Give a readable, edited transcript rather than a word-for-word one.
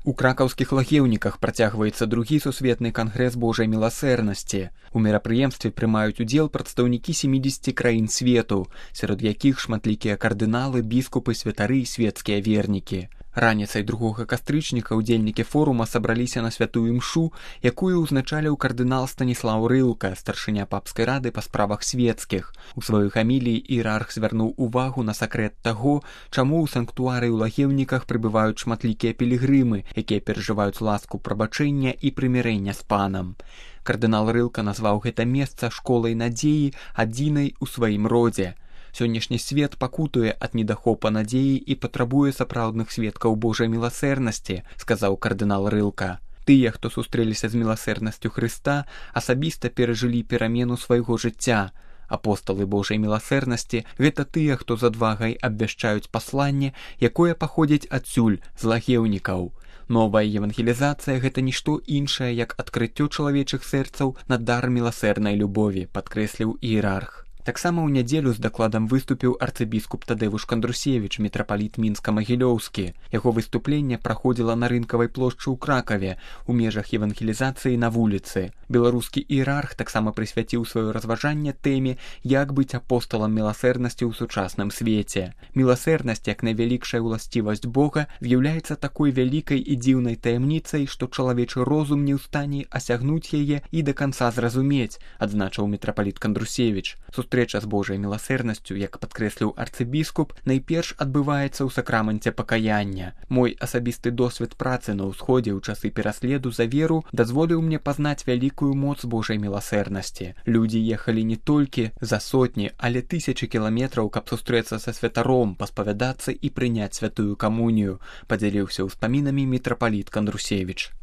У кракаўскіх лагеўніках працягваецца другі сусветны кангрэс Божай міласэрнасці. У мерапрыемстве прымаюць удзел прадстаўнікі 70 краін свету, сярод якіх шматлікія кардыналы, біскупы, святары і свецкія вернікі. Раніцай 2 кастрычніка удзельнікі форума сабраліся на святую імшу, якую ўзначаліў кардынал Станіслаў Рылка, старшыня папскай рады па справах свецкіх. У сваёй гаміліі іерарх звярнуў увагу на сакрэт таго, чаму ў санктуары ў лагеўніках прыбываюць шматлікія пілігрымы, якія перажываюць ласку прабачэння і прымірэння з панам. Кардынал Рылка назваў гэта месца школай надзеі, адзінай у сваім родзе. Сённяшні свет пакутуе ад недахопа надзеі і патрабуе сапраўдных сведкаў Божай міласэрнасці, сказаў кардынал Рылка. Тыя, хто сустрэліся з міласэрнасцю Хрыста, асабіста перажылі перамену свайго жыцця. Апосталы Божай міласэрнасці – гэта тыя, хто з адвагай абвяшчаюць пасланне, якое паходзіць адсюль, з лагеўнікаў. Новая евангелізацыя – гэта нішто іншае, як адкрыццё чалавечых сэрцаў на дар міласэрнай любові, падкрэсліў іерарх. Таксама ў нядзелю з дакладам выступіў арцыбіскуп Тадэвуш Кандрусевіч, мітрапаліт Мінска-Магілёўскі. Яго выступленне праходзіла на рынкавай плошчы ў Кракаве, у межах евангелізацыі на вуліцы. Беларускі іерарх таксама прысвяціў сваё разважанне тэме «Як быць апосталам міласэрнасці ў сучасным свеце». Міласэрнасць, як найвялікшая ўласцівасць Бога, з'яўляецца такой вялікай і дзіўнай таямніцай, што чалавечы розум не ў стане асягнуць яе і да канца зразумець, адзначыў мітрапаліт Кандрусевіч. Сустрэча з Божай міласэрнасцю, як падкрэсліў арцыбіскуп, найперш адбываецца ў сакраманце пакаяння. Мой асабісты досвед працы на ўсходзе ў часы пераследу за веру дазволіў мне пазнаць вялікую моц Божай міласэрнасці. Людзі ехалі не толькі за сотні, але тысячы кіламетраў, каб сустрэцца са святаром, паспавядацца і прыняць святую камунію, падзяліўся ўспамінамі мітрапаліт Кандрусевіч.